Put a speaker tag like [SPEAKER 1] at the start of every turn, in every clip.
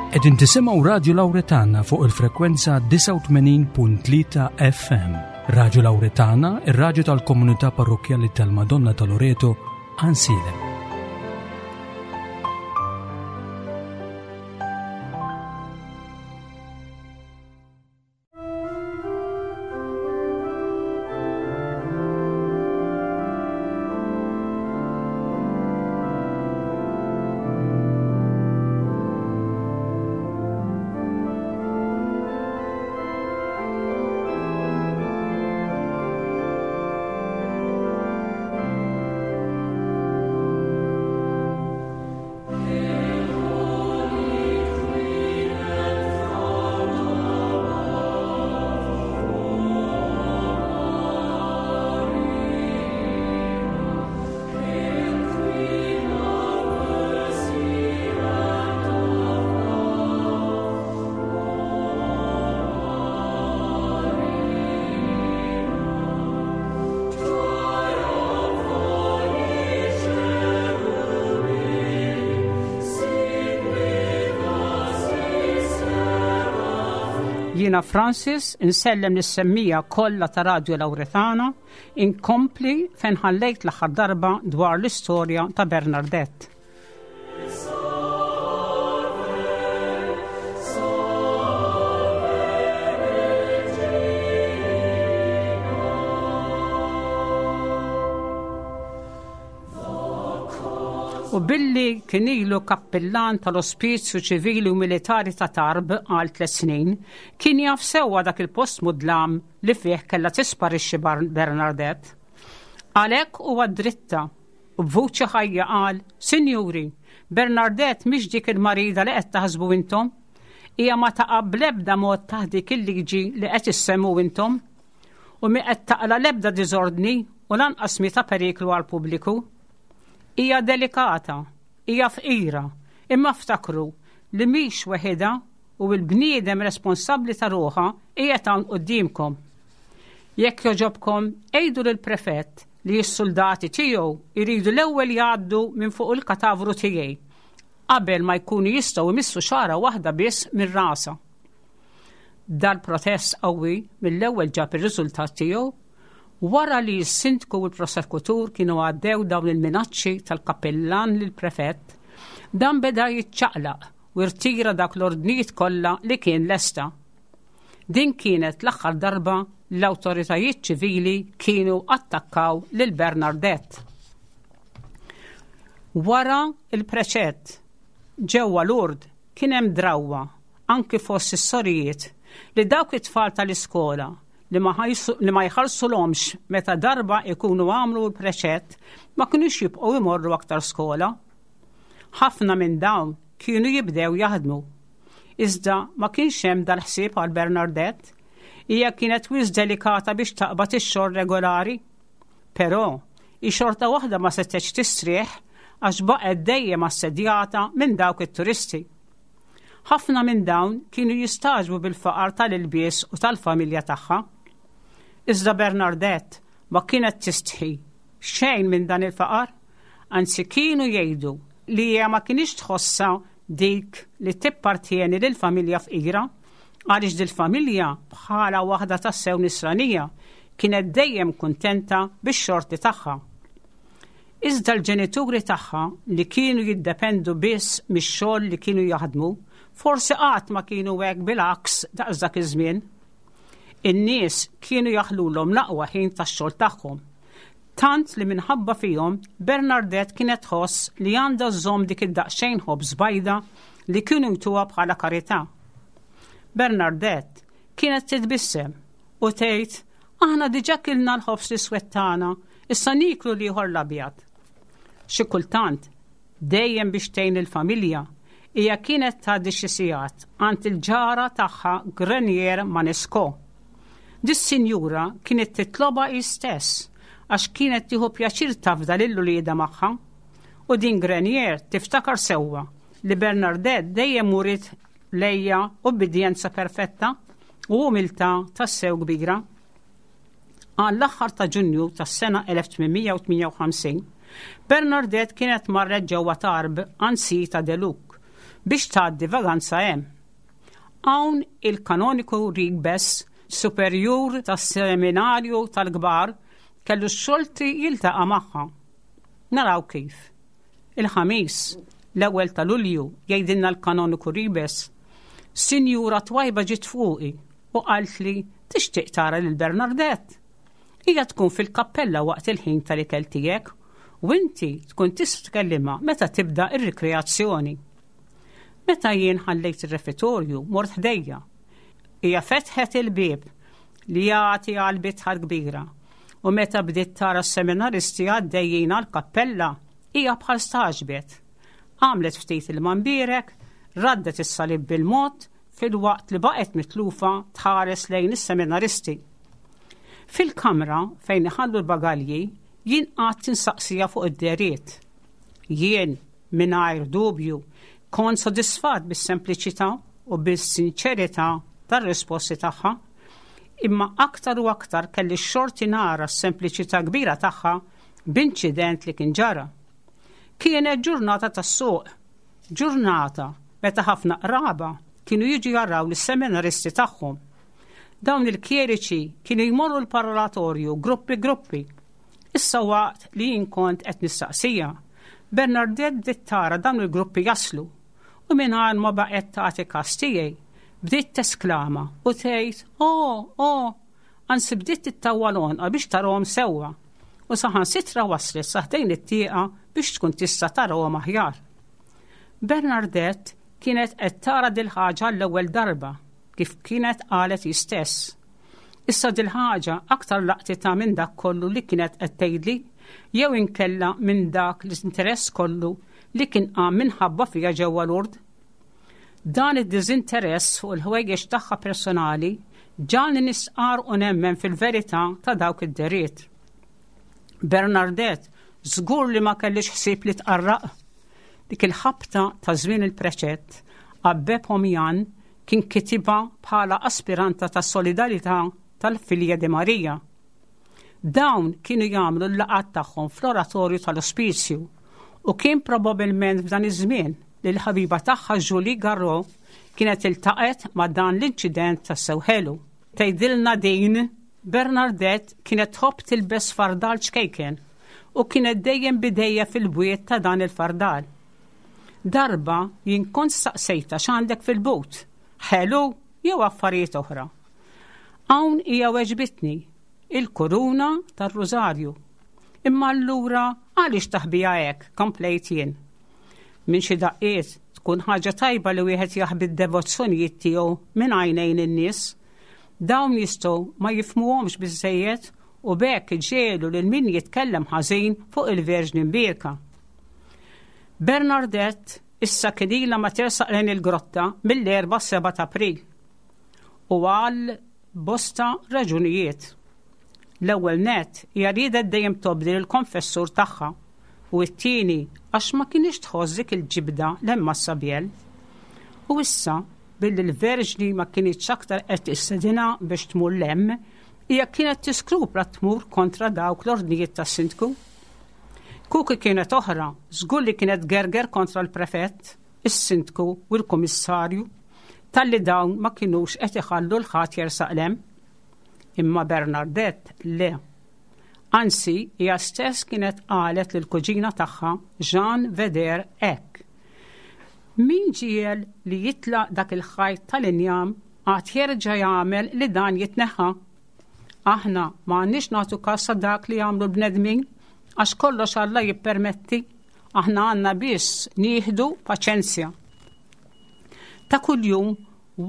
[SPEAKER 1] Qegħdin tisimgħu Radju Lawretana fuq il-frekwenza 89.3 FM. Radju Lawretana, ir-radju tal-komunità parrokkjali tal-Madonna ta' Loreto, Ansilem.
[SPEAKER 2] Jiena Francis, insellem lis-semmija kollha ta' Radio Lauretana, inkompli fejn ħallejt l-aħħar darba dwar l-istorja ta' Bernardette. U billi kien ilu kappillan tal-Ospizju Ċivili u Militari ta' Tarbes għal tlet snin, kien jaf sewwa dak il-post mudlam li fih kellha tisparixxi Bernardette. Għalhekk huwa dritta u b'vuċi ħajja qal, Sinjuri, Bernardette mhix dik il-marida li qed taħsbu intom. Hija ma taqa' bl-ebda mod taħt dik il-liġi li qed issemmu intom. U mi qed taqla' l-ebda diżordni u lanqas mi ta' periklu għall-pubbliku. Hija delikata, hija fqira, imma ftakru li mhix weħidha u l-bniedem responsabbli ta' ruħha qiegħed hawn quddiemkom. Jekk jogħġobkom, għidu lill-prefett li s-suldati tiegħu jridu l-ewwel jgħaddu minn fuq il-katavru tiegħi qabel ma jkunu jistgħu jmissu xagħra waħda biss minn rasha. Dal-protest qawwi mill-ewwel ġab ir-riżultat tiegħu wara li s-sindku u l-prosekutur kienu għaddew dawn il-minaċċi tal-kappillan lill-prefett, dan beda jiċċaqlaq u rtira dak l-ordnijiet kollha li kien lesta. Din kienet l-aħħar darba l-awtoritajiet ċivili kienu attakkaw lil Bernardette. Wara il-preċett ġewwa Lourdes kien hemm drawwa anki fost is-sorijiet li dawk it-tfal tal-iskola li ma, li ma jħallsulhomx meta darba ikunu għamlu l-preċett ma kinux jibqgħu imorru aktar skola. Ħafna minn dawn kienu jibdew jaħdmu. Iżda ma kienx hemm dal-ħsieb għal Bernardette. Hija kienet wisq delikata biex taqbad ix-xogħol regolari. Però, hi xorta waħda ma setgħetx tistrieħ għax baqgħet dejjem assedjata minn dawk it-turisti. Ħafna minn dawn kienu jistagħġbu bil-faqar tal-ilbies u tal-familja tagħha. Iżda Bernardette ma kienet tistħi xejn minn dan il-faqar, anzi kienu jgħidu li hija ma kinitx tħossha dik li tippartjeni lil familja fqira, għaliex dil-familja bħala waħda tassew nisranija kienet dejjem kuntenta bix-xorti tagħha. Iżda l-ġenituri tagħha li kienu jiddependu biss mix-xogħol li kienu jaħdmu, forsi qatt ma kienu hekk bil-għaks daqs dak iż-żmien. In-nies kienu jaħlulhom l-aqwa ħin tax-xogħol tagħhom. Tant li minħabba fihom Bernardette kienet tħoss li għandha żżomm dik id-daqsxejn ħobż bajda li kienu jtuha bħala karità. Bernardette kienet titbissem u tgħid aħna diġà kilna l-ħobż l-iswed tagħna, issa nieklu l-ieħor l-abjad. Xi kultant, dejjem biex tgħin il-familja, hija kienet tgħaddi xi sigħat għand il-ġara tagħha Grenier Manesco. Dis-sinjura kienet titlobha hi stess għax kienet tieħu pjaċir tafda lil uliedha magħha. U din Grenier tiftakar sewwa li Bernardette dejjem uriet lejja ubbidjenza perfetta u umiltà tassew kbira. Għall-aħħar ta' Ġunju tas-sena 1858, Bernardette kienet marret ġewwa Tarbes għand Sita Deluc. biex tgħaddi vaganza hemm. Hawn il-kanoniku Ribes, superjur tas-seminarju tal-kbar, kellu x-xolti jiltaqa' magħha. Naraw kif. Il-Ħamis, l-ewwel ta' Lulju, jgħidilna l-kanoniku Ribes, Sinjura twajba ġiet fuqi u qaltli tixtieq tara lil Bernardette. Hija tkun fil-kappella waqt il-ħin tal-ikel tiegħek u inti tkun tista' tkellimha meta tibda r-rikreazzjoni. Meta jien ħallejt ir-refetorju, mort ħdejja. Hija fetħet il-bieb li jagħti għal bitħa kbira u meta bdiet tara s-seminaristi għaddejjin għall-kappella, hija bħal stagħġbet. Għamlet ftit il-mambierek, raddet is-salib bil-mod filwaqt li baqgħet mitlufa tħares lejn is-seminaristi. Fil-kamra fejn iħallu l-bagalji jien qgħadt insaqsiha fuq id-dehriet. Jien, mingħajr dubju, kont sodisfatt bis-sempliċità u bis-sinċerità tar-risposti tagħha, imma aktar u aktar kelli x-xorti nara s-sempliċità kbira tagħha b'inċident li kien ġara. Kienet ġurnata tas-suq, ġurnata meta ħafna qraba kienu jiġu jaraw lis-seminaristi tagħhom. Dawn il-kjeriċi kienu jmorru l-parlatorju gruppi gruppi. Issa waqt li jien kont qed nistaqsija, Bernardette bdiet tara dawn il-gruppi jaslu u mingħajr ma baqgħet tagħti kas tiegħi, bdiet tesklama u tgħid, Oh, oh! Anzi bdiet tittawwal għonqha biex tarahom sewwa u saħansitra waslet sa ħdejn it-tieqa biex tkun tista' tarahom aħjar. Bernardette kienet qed tara dil-ħaġa għall-ewwel darba, kif kienet qalet hi stess. Issa dil-ħaġa aktar laqtitha minn dak kollu li kienet qed tgħidli jew inkella minn dak l-interess kollu li kien qam minħabba fiha ġewwa Lourdes. Dan id-diżinteress fuq il-ħwejjeġ tagħha personali ġagħalni nistqarr u nemmen fil-verità ta' dawk id-dehriet. Bernardette żgur li ma kellhiex ħsieb li tqarraq. Dik il-ħabta ta' żmien il-preċett, Abbé Pomian Kien kitibha bħala aspiranta tas-Solidarità tal-Filja di Maria. Dawn kienu jagħmlu l-laqgħat tagħhom fl-oratorju tal-ospizju u kien probabilment f'dan iż-żmien li l-ħabiba tagħha Julie Garraud kienet iltaqgħet ma' dan l-inċident tassew ħelu. Tgħidilna din, Bernardette kienet tħobb tilbes fardal ċkejken u kienet dejjem b'idejha fil-bwiet ta' dan il-fardal. Darba jien kont staqsejtha x'għandek fil-but, ħelu jew affarijiet oħra. Hawn hija weġbitni, il-kuruna tar-rużarju. Imma allura għaliex taħbiha hekk, komplejt jien. Minn xi daqqiet tkun ħaġa tajba li wieħed jaħbi d-devozzjonijiet tiegħu minn għajnejn in-nies. Dawn jistgħu ma jifhmuhomx biżżejjed u b'hekk iġiegħlu lil min jitkellem ħażin fuq il-Verġni Mbierka. Bernardette issa kien ilha ma tersaq lejn il-grotta mill-Erbgħa 7 ta' April. U għal bosta raġunijiet. L-ewwel nett hija riedet dejjem tobdi lill-konfessur tagħha u t-tieni għax ma kinitx tħoss dik il-ġibda 'l hemm mas-Sabiel. U issa, billi l-Verġni ma kinitx aktar qed tistedinha biex tmur 'l hemm, hija kienet tiskrupla tmur kontra dawk l-ordnijiet tas-Sindku. Kieku kienet oħra, żgur li kienet tgerger kontra l-Prefett, is-Sindku u l-Kummissarju talli dawn ma kinux qed iħallu 'l ħadd jersaq 'l hemm. Imma Bernardette le. Anzi, hija stess kienet qalet lill-kuġina tagħha Jeanne Veder hekk, Min ġiegħel li jitlaq dak il-ħajt tal-injam għad jerġa' jagħmel li dan jitneħħa. Aħna ma għandniex nagħtu kas ta' dak li jagħmlu l-bnedmin, għax kollox Alla jippermetti, aħna għandna biss nieħdu paċenzja. Ta' kuljum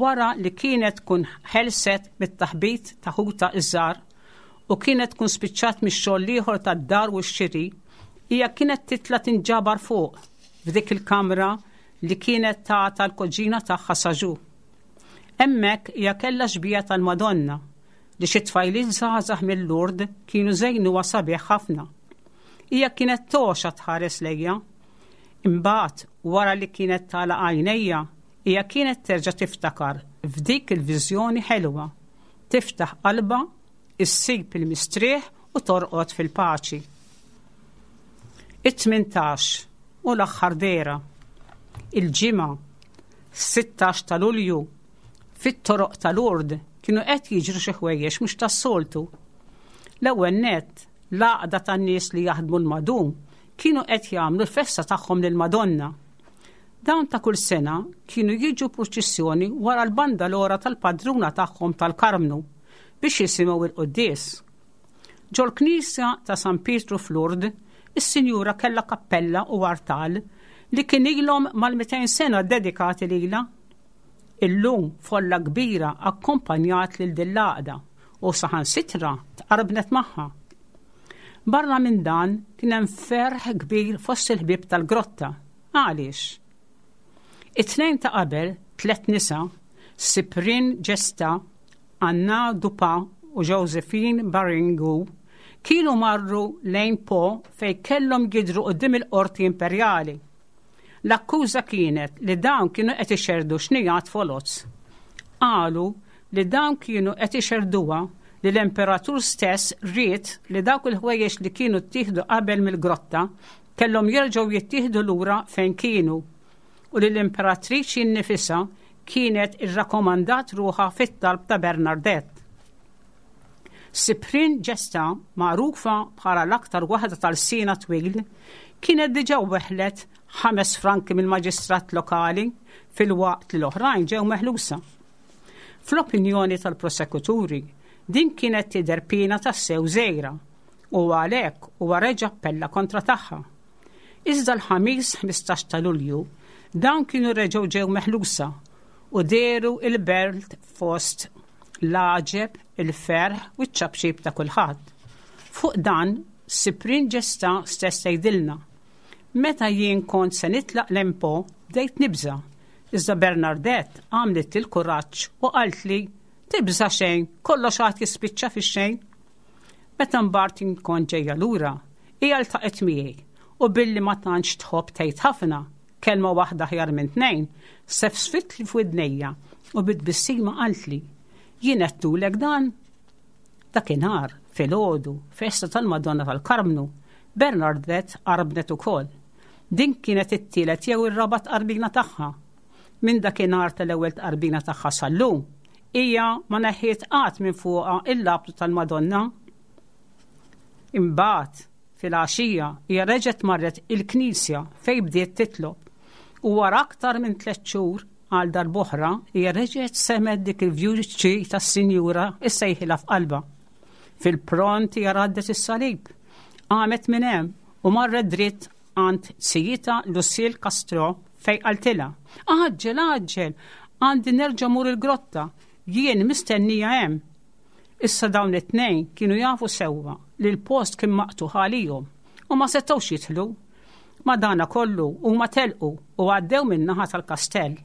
[SPEAKER 2] wara li kienet tkun ħelset mit-taħbit ta' ħutha iż-żgħar u kienet tkun spiċċat mix-xogħol l-ieħor tad-dar u x-xiri, hija kienet titla' tinġabar fuq f'dik il-kamra li kienet tagħta l-kuġina tagħha Saġu. Hemmhekk hija kellha xbieha tal-Madonna li xi tfajliet żgħażagħ mil-Lourdes kienu żejnuha sabiħ ħafna. Hija kienet togħxa tħares lejja. Imbagħad, wara li kienet tagħlaq għajnejha, hija kienet terġa' tiftakar f'dik il-viżjoni ħelwa, tiftaħ qalbha, issib il-mistrieħ u torqod fil-paċi. It-18 u l-aħħar dehra. Il-Ġimgħa. 16 ta' Lulju, fit-toroq ta' Lourdes kienu qed jiġru xi ħwejjeġ mhux tas-soltu. L-ewwel nett, l-għaqda tan-nies li jaħdmu l-madum kienu qed jagħmlu l-festa tagħhom lill-Madonna. Dawn ta' kull sena kienu jiġu purċissjoni wara l-bandalora tal-padruna tagħhom tal-Karmnu biex jisimgħu il-quddies. Ġol-knisja ta' San Pietru f'Lourdes, is-sinjura kellha kappella u artal li kien ilhom mal-200 sena ddedikati lilha. Illum folla kbira akkompanjat lil din l-għaqda u saħansitra tqarbnet magħha. Barra minn dan kien hemm ferħ kbir fost il-ħbieb tal-grotta. Għaliex? It-tnejn ta' qabel, tlett nisa, Cyprien Gesta, Anna Dupas u Josephine Baringu, kienu marru lejn Po fejn kellhom jidhru quddiem il-Qorti Imperjali. L-akkuża kienet li dawn kienu qed ixerrdu xnigħat foloz. Qalu li dawn kienu qed ixerrduha li l-Imperatur stess ried li dawk il-ħwejjeġ li kienu ttieħdu qabel mill-grotta kellhom jerġgħu jittieħdu lura fejn kienu u li l-Imperatriċi nnifisha kienet irrakkomandat ruħha fit-talb ta' Bernardette. Cyprien Gesta, magħrufa bħala l-aktar waħda ta' lsienha twil, kienet diġà weħlet ħames franki mill-maġistrat lokali filwaqt li l-oħrajn ġew meħlusa. Fl-opinjoni tal-prosekuturi, din kienet tidher piena tassew żgħira u għalhekk huwa reġa' appella kontra tagħha. Iżda l-Ħamis 15 ta' Lulju, dawn kienu reġgħu ġew meħlusa u dehru il-belt fost l-għaġeb, il-ferħ u ċ-ċapċip ta' kulħadd. Fuq dan, Cyprien Gesta stess tgħidilna, Meta jien kont se nitlaq l-Empo, bdejt nibża'. Iżda Bernardette għamlitli l-kuraġġ u qaltli, Tibża' xejn, kollox għad jispiċċa fix-xejn. Meta mbagħad jien kont ġejja lura, hija ltaqgħet miegħi u billi ma tantx tħobb tgħid ħafna, kelma waħda aħjar minn tnejn, sefsfitli f'widnejja u bi tbissima qaltli, Jien għedtulek dan? Dakinhar, filgħodu, festa tal-Madonna tal-Karmnu, Bernardette qarbnet ukoll. Din kienet it-tielet jew ir-raba' tqarbina tagħha. Minn dakinhar tal-ewwel tqarbina tagħha sal-lum, hija ma neħħiet qatt minn fuqha il-labtu tal-Madonna. Imbagħad, filgħaxija, hija reġgħet marret il-knisja fejn bdiet titlob. U wara aktar minn tlett xhur, għal darb'oħra, hija reġgħet semgħet dik il-vuċi tas-Sinjura issejħilha f'qalbha. Fil-pront hija raddet is-salib, qamet minn hemm u marret dritt għand sijitha Lucille Castro fejn qaltilha, Għaġġel, għaġġel, għandi nerġa' mmur il-grotta, jien mistennija hemm. Issa dawn it-tnejn kienu jafu sewwa li l-post kien maqtugħ għalihom u ma setgħux jidħlu. Madanakollu huma telqu u għaddew min-naħa tal-kastell.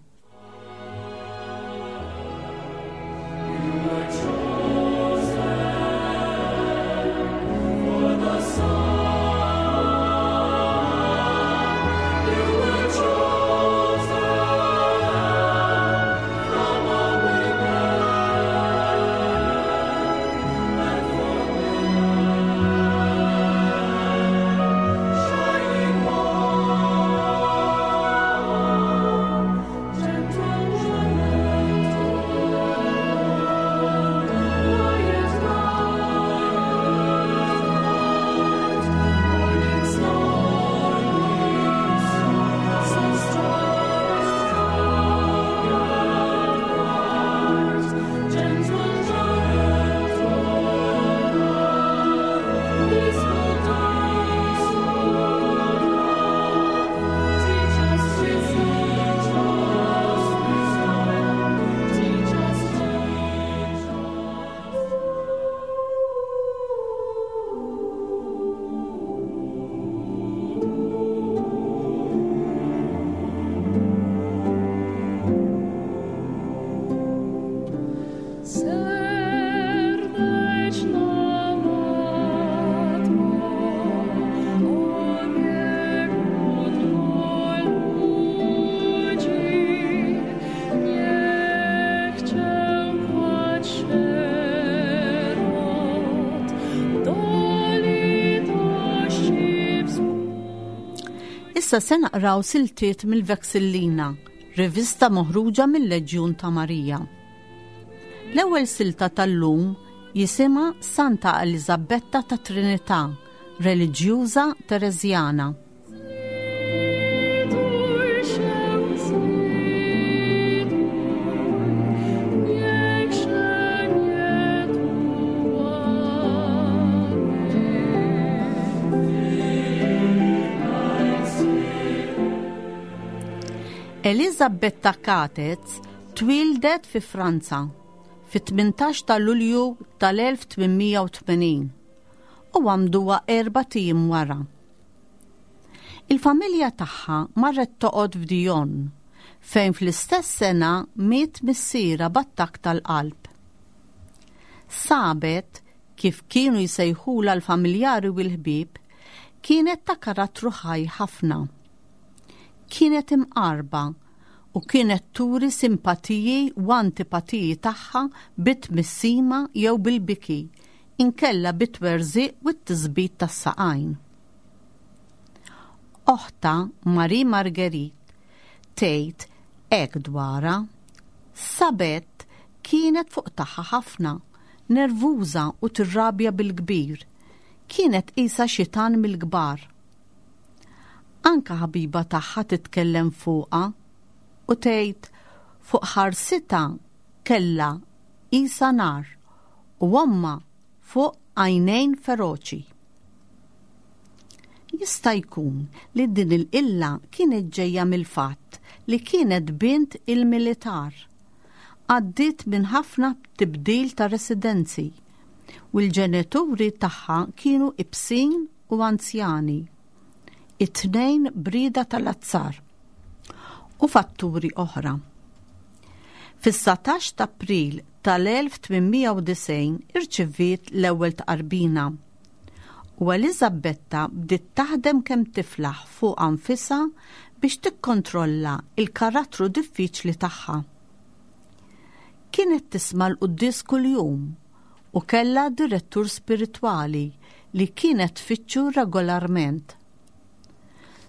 [SPEAKER 3] Issa se naqraw siltiet mill-Vexillina. rivista moħruġa mill-Leġjun ta' Marija. L-ewwel silta tal-lum jisimha Santa Eliżabetta ta' Trinità, reliġjuża Tereżjana. Eliżabetta Catez twieldet fi Franza fit-18 ta' Lulju tal-1880 u għamduha erbat ijiem wara. Il-familja tagħha marret toqgħod f'Dijon, fejn fl-istess sena miet missierha b'attakk tal-qalb. Sabet, kif kienu jsejħulha l-familjari u l-ħbieb, kienet ta' karattru ħaj ħafna. Kienet imqarba u kienet turi simpatiji u antipatiji tagħha bit-tmissima jew bil-biki, inkella bit-twerżiq u t-tisbit tas-saqajn. Oħtha, Marie Marguerite, tgħid hekk dwarha, Sabet kienet fuq tagħha ħafna, nervuża u tirrabja bil-kbir. Kienet qisha xitan mill-kbar. Anke ħabiba tagħha titkellem fuqha u tgħid fuq ħarsitha kellha qisha nar u ommha fuq għajnejn feroċi. Jista' jkun li din il-qilla kienet ġejja mill-fatt li kienet bint il-militar. Għaddiet minn ħafna tibdil ta' residenzi u l-ġenituri tagħha kienu ibsin u anzjani, it-tnejn b'rieda tal-azzar u fatturi oħra. Fis-19 t'April tal-1890 irċiviet l-ewwel tqarbina u Eliżabetta bdiet taħdem kemm tiflaħ fuqha nfisha biex tikkontrolla l-karattru diffiċli tagħha. Kienet tisma' l-quddies kuljum u kellha direttur spiritwali li kienet tfittxu regolarment.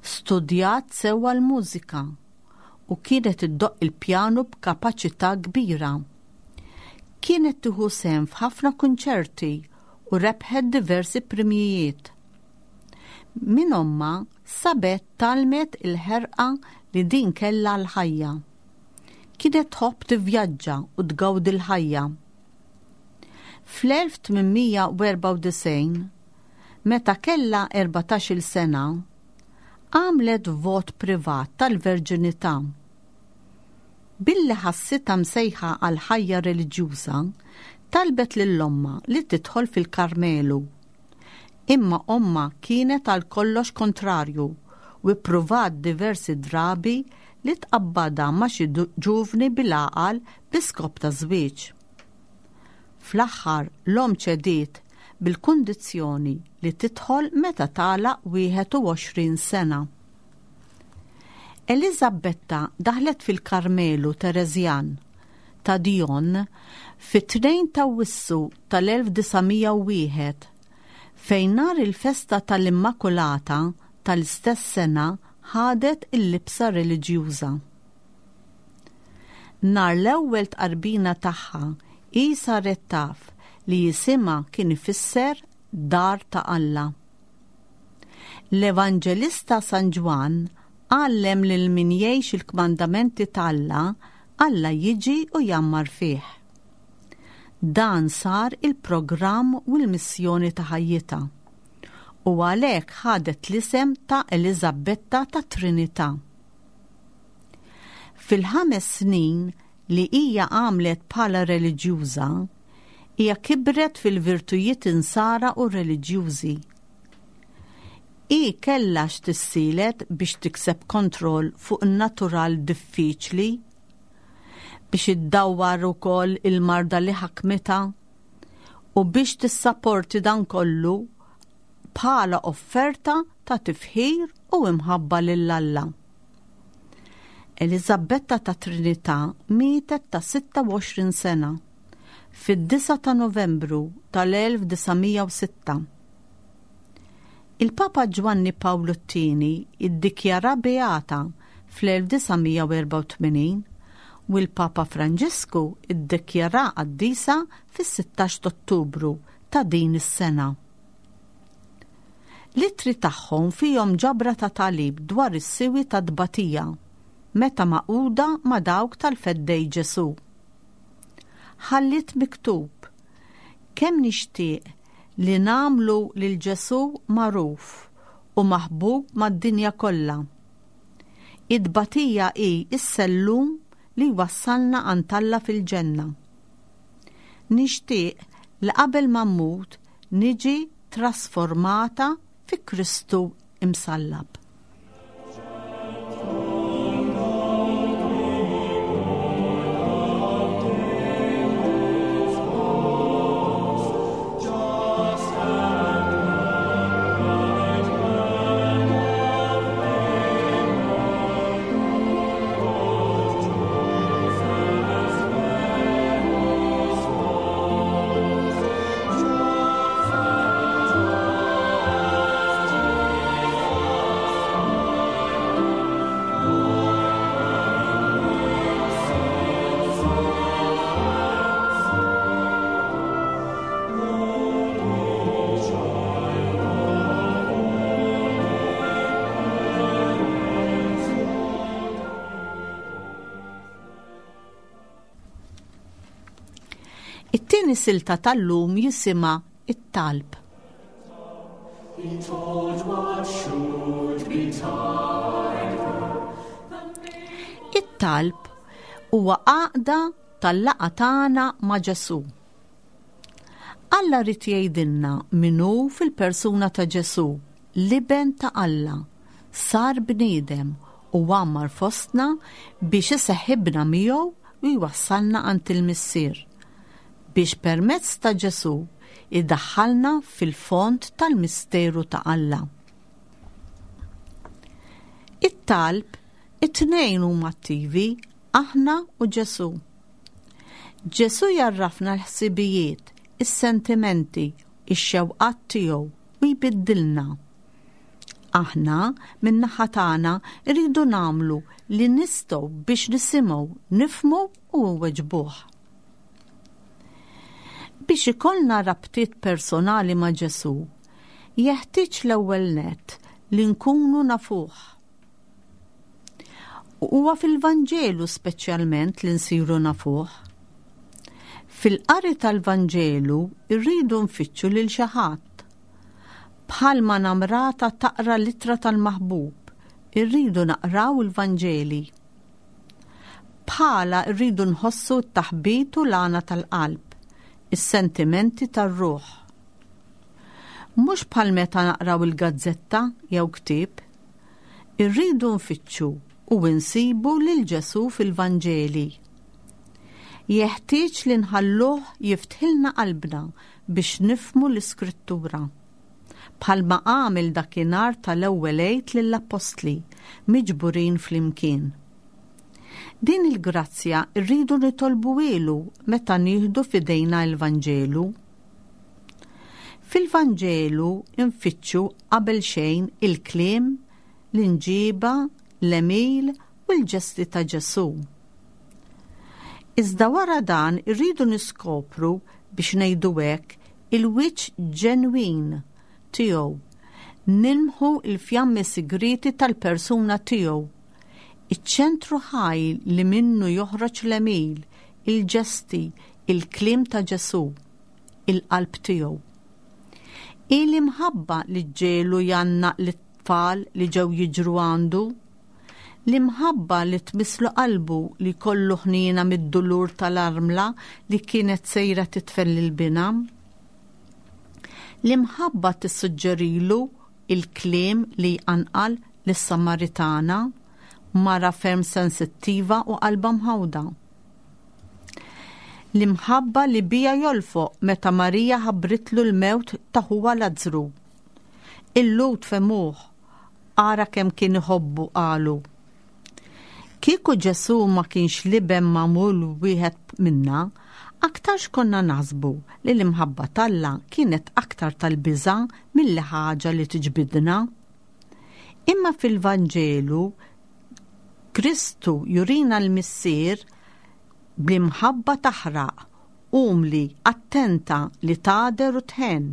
[SPEAKER 3] Studjat sewwa l-mużika u kienet iddoqq il-pjanu b'kapaċità kbira. Kienet tieħu sehem f'ħafna kunċerti u rebħet diversi premjijiet. Minn ommha, Sabet tgħallmet il-ħerqa li din kellha għall-ħajja. Kienet tħobb tivvjaġġa u tgawdi l-ħajja. Fl-1894, meta kellha 14-il sena, għamlet vot privat tal-verġinità. Billi ħassitha msejħa għal ħajja reliġjuża, talbet lil ommha li tidħol fil-Karmelu. Imma ommha kienet għal kollox kontrarju u ppruvat diversi drabi li tqabbadha ma' xi ġuvni bil-għaqal bi skop ta' żwieġ. Fl-aħħar l-omm ċediet bil-kundizzjoni li tidħol meta tagħlaq 21 sena. Eliżabetta daħlet fil-Karmelu Tereżjan ta' Dijon fit-2 t'Awwissu tal-1901 fejn nhar il-festa tal-Immakulata tal-istess sena ħadet il-libsa reliġjuża. Nhar l-ewwel tqarbina tagħha hi saret taf li isimha kien ifisser Dar ta' Alla. L-Evanġelista San Ġwann għallem lil min jgħix il-kmandamenti t'Alla, Alla jiġi u jgħammar fih. Dan sar il-programm u l-missjoni ta' ħajjitha, u għalhekk ħadet l-isem ta' Eliżabetta tat-Trinità. Fil-ħames snin li hija għamlet bħala reliġjuża, hija kibret fil-virtujiet insara u reliġjużi. Hi kellha x'tissielet biex tikseb kontroll fuq in-natural diffiċli, biex iddawwar ukoll il-marda li ħakmitha, u biex tissaporti dan kollu bħala offerta ta' tifħir u imħabba lil Alla. Eliżabetta ta' Trinità mietet ta' 26 sena fid-9 ta' Novembru tal-1906. Il-Papa Ġwanni Pawlu t-Tieni iddikjara beata fl-1984 u l-Papa Franġisku ddikjaraha qaddisa fis-16 t'Ottubru ta' din is-sena. L-ittri tagħhom fihom ġabra ta' tagħlim dwar is-siwi tat-tbatija meta magħquda ma' dawk tal-Feddej Ġesù. Ħalliet miktub, Kemm nixtieq li nagħmlu lil Ġesù magħruf u maħbub mad-dinja kollha. It-tbatija hi s-sellum li jwassalna għand Alla fil-ġenna. Nixtieq li qabel ma mmut niġi trasformata fi Kristu imsallab. It-tieni silta tal-lum jisimha it-talb. It-talb huwa għaqda tal-laqgħa tagħna ma' Ġesù. Alla ried jgħidilna min hu fil-persuna ta' Ġesù, l-Iben ta' Alla, sar bniedem u għammar fostna biex iseħħibna miegħu u jwassalna għand il-Missier, biex permezz ta' Ġesù jdaħħalna fil-fond tal-misteru ta' Alla. It-talb, it-tnejn huma attivi, aħna u Ġesù. Ġesù jgħarrafna l-ħsibijiet, is-sentimenti, ix-xewqat tiegħu u jbiddilna. Aħna, min-naħa tagħna, rridu nagħmlu li nistgħu biex nisimgħu, nifhmu u nweġbuh. Biex ikollna rabtiet personali ma' Ġesù, jeħtieġ l-ewwel nett li nkunu nafuh. Huwa fil-Vanġelu speċjalment li nsiru nafuh. Fil-qari tal-Vanġelu rridu nfittxu lil xi ħadd. Bħalma namrata taqra l-ittra tal-maħbub, irridu naqraw il-Vanġeli. Bħala rridu nħossu t-taħbit u l-għana tal-qalb, is-sentimenti tar-ruħ. Mhux bħal meta naqraw il-gazzetta jew ktieb. Irridu nfittxu u nsibu lil Ġesù fil-Vanġeli. Jeħtieġ li nħalluh jiftħilna qalbna biex nifhmu l-Iskrittura. Bħalma għamel dakinhar tal-ewwel Għid lill-appostli miġburin flimkien. Din il-grazzja rridu nitolbuhielu meta nieħdu f'idejna l-Vanġelu. Fil-Vanġelu nfittxu qabel xejn il-kliem, l-imġiba, l-għemil u l-ġesti ta' Ġesù. Iżda wara dan irridu niskopru, biex ngħidu hekk, il-wiċċ ġenwin tiegħu, nilmħu l-fjammi sigrieti tal-persuna tiegħu, iċ-ċentru ħaj li minnu joħroġ l-għemil, il-ġesti, il-kliem ta' Ġesù. il-qalb tiegħu. Hi l-imħabba li ġġegħlu jgħannaq lit-tfal li ġew jiġru għandu. L-imħabba li tmisslu qalbu li jkollu ħniena mid-dulur tal-armla li kienet sejra tidfen lil binha. L-imħabba tissuġġerilu il-kliem li jqanqal lis-Samaritana, mara ferm sensittiva u qalbha mħawda. L-imħabba li biha jolfoq meta Marija ħabbritlu l-mewt ta' ħuha Lazzru. Il-Lhud fehmuh, ara kemm kien iħobbu qalu. Kieku Ġesù ma kienx l-Iben magħmul wieħed minna, aktarx konna naħsbu li l-imħabba t'Alla kienet aktar tal-biża' milli ħaġa li tiġbidna. Imma fil-Vanġelu. Kristu jurina l-Missier bl-imħabba taħraq, umli, attenta li tagħder u tħenn.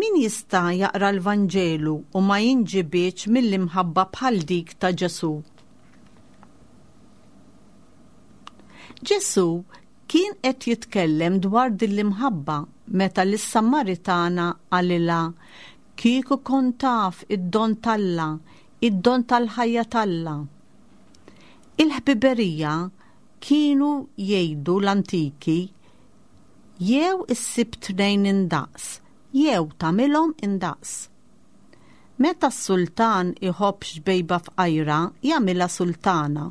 [SPEAKER 3] Min jista' jaqra l-Vanġelu u ma jinġibidx mill-imħabba bħal dik ta' Ġesù? Ġesù kien qed jitkellem dwar din l-imħabba meta lis-Samaritana qalilha, Kieku kont taf id-don t'Alla, id-don tal-ħajja t'Alla. Il-ħbiberija kienu jgħidu l-antiki jew issib tnejn indaqs jew tagħmilhom indaqs. Meta s-sultan iħobb xbejba fqajra jagħmilha sultana.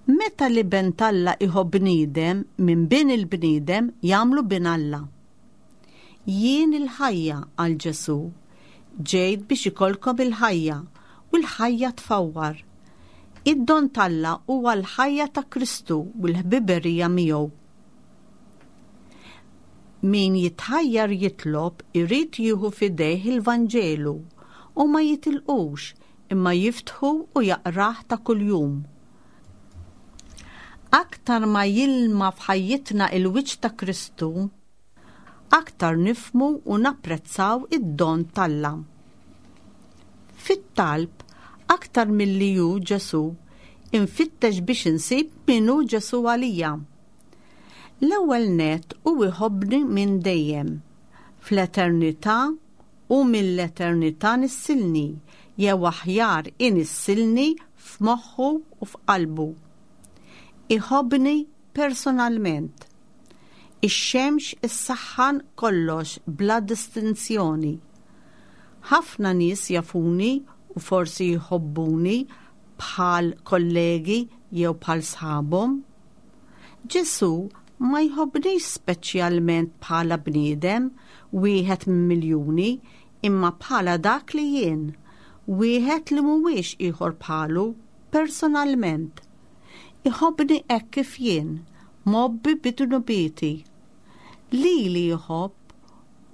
[SPEAKER 3] Meta l-Iben t'Alla iħobb bniedem, minn bin il-bniedem jagħmlu bin Alla. Jien il-ħajja, qal Ġesù. Ġejt biex ikollkom il-ħajja, u l-ħajja tfawwar. Id-don t'Alla huwa l-ħajja ta' Kristu u l-ħbiberija miegħu. Min jitħajjar jitlob irid jieħu f'idejh il-Vanġelu u ma jitilqux imma jiftħu u jaqrah ta' kuljum. Aktar ma jilma f'ħajjitna il-wiċċ ta' Kristu, aktar nifhmu u napprezzaw id-don t'Alla. Fit-talb, aktar milli hu Ġesù, infittex biex insib min hu Ġesù għalija. L-ewwel nett hu jħobbni minn dejjem. Fl-eternità u mill-eternità nissilni, jew aħjar inissilni f'moħħu u f'qalbu. Iħobbni personalment. Ix-xemx issaħħan kollox bla distinzjoni. Ħafna nies jafuni u forsi jħobbuni bħal kollegi jew bħal sħabhom. Ġesù ma jħobbnix speċjalment bħala bniedem, wieħed minn miljuni, imma bħala dak li jien, wieħed li mhuwiex ieħor bħalu, personalment. Iħobbni hekk kif jien, mgħobbi bi dnubieti. Lili jħobb,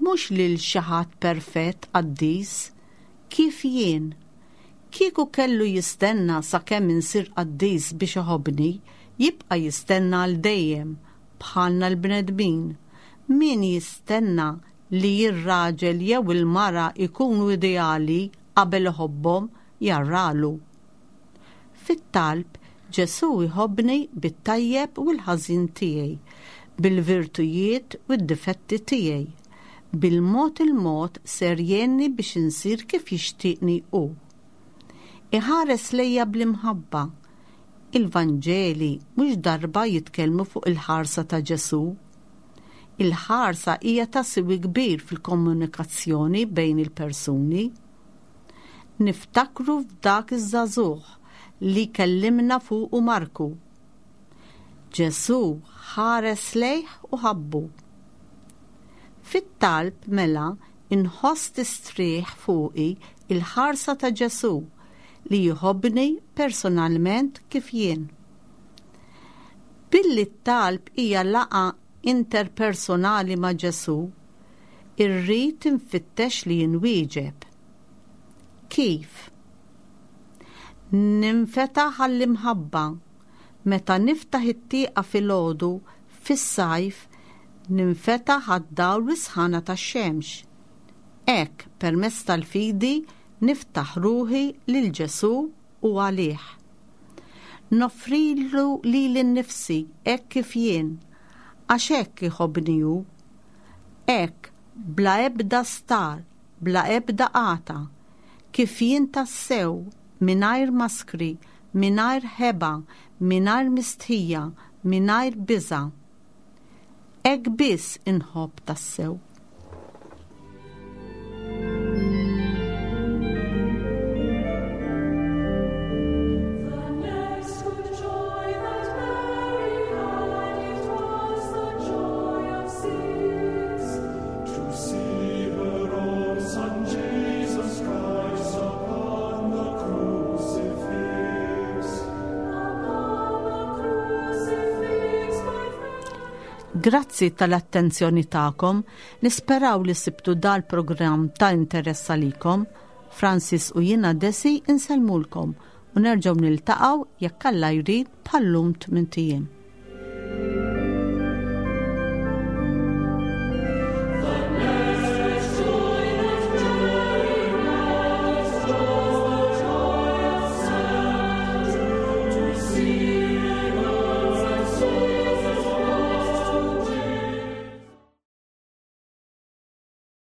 [SPEAKER 3] mhux lil xi ħadd perfett qaddis, kif jien. Kieku kellu jistenna sakemm insir qaddis biex iħobbni, jibqa' jistenna għal dejjem, bħalna l-bnedmin. Min jistenna li r-raġel jew il-mara jkunu ideali qabel iħobbhom, jarralu. Fit-talb, Ġesù jħobbni bit-tajjeb u l-ħażin tiegħi, bil-virtujiet u d-difetti tiegħi. Bil-mod il-mod ser jgħinni biex insir kif jixtieqni hu. Iħares lejja bl-imħabba. Il-Vanġeli mhux darba jitkellmu fuq il-ħarsa ta' Ġesù. Il-ħarsa hija ta' siwi kbir fil-komunikazzjoni bejn il-persuni. Niftakru f'dak iż-żagħżugħ li kellimna fuqu Marku. Ġesù ħares lejh u ħabbu. Fit-talb mela inħoss tistrieħ fuqi il-ħarsa ta' Ġesù li jħobbni personalment kif jien. Billi t-talb hija laqgħa interpersonali ma' Ġesù, irrid infittex li inwieġeb. Kif? Ninfetaħ għall-imħabba. Meta niftaħ it-tieqa filgħodu fis-sajf, ninfetaħ għad-dawl u s-sħana tax-xemx. Hekk, permezz tal-fidi, niftaħ ruħi lil Ġesù u għalih. Noffrilu lili nnifsi hekk kif jien, għax hekk iħobbni hu. Hekk, bla ebda star, bla ebda għata, kif jien tassew, mingħajr maskri, mingħajr ħeba, mingħajr mistħija, mingħajr biża'. Hekk biss inħobb tassew. Grazzi tal-attenzjoni tagħkom, nisperaw li sibtu dal-programm ta' interess għalikom. Francis u jiena Desi insellmulkom. u nerġgħu niltaqgħu jekk Alla jrid bħal-lum tmint ijiem.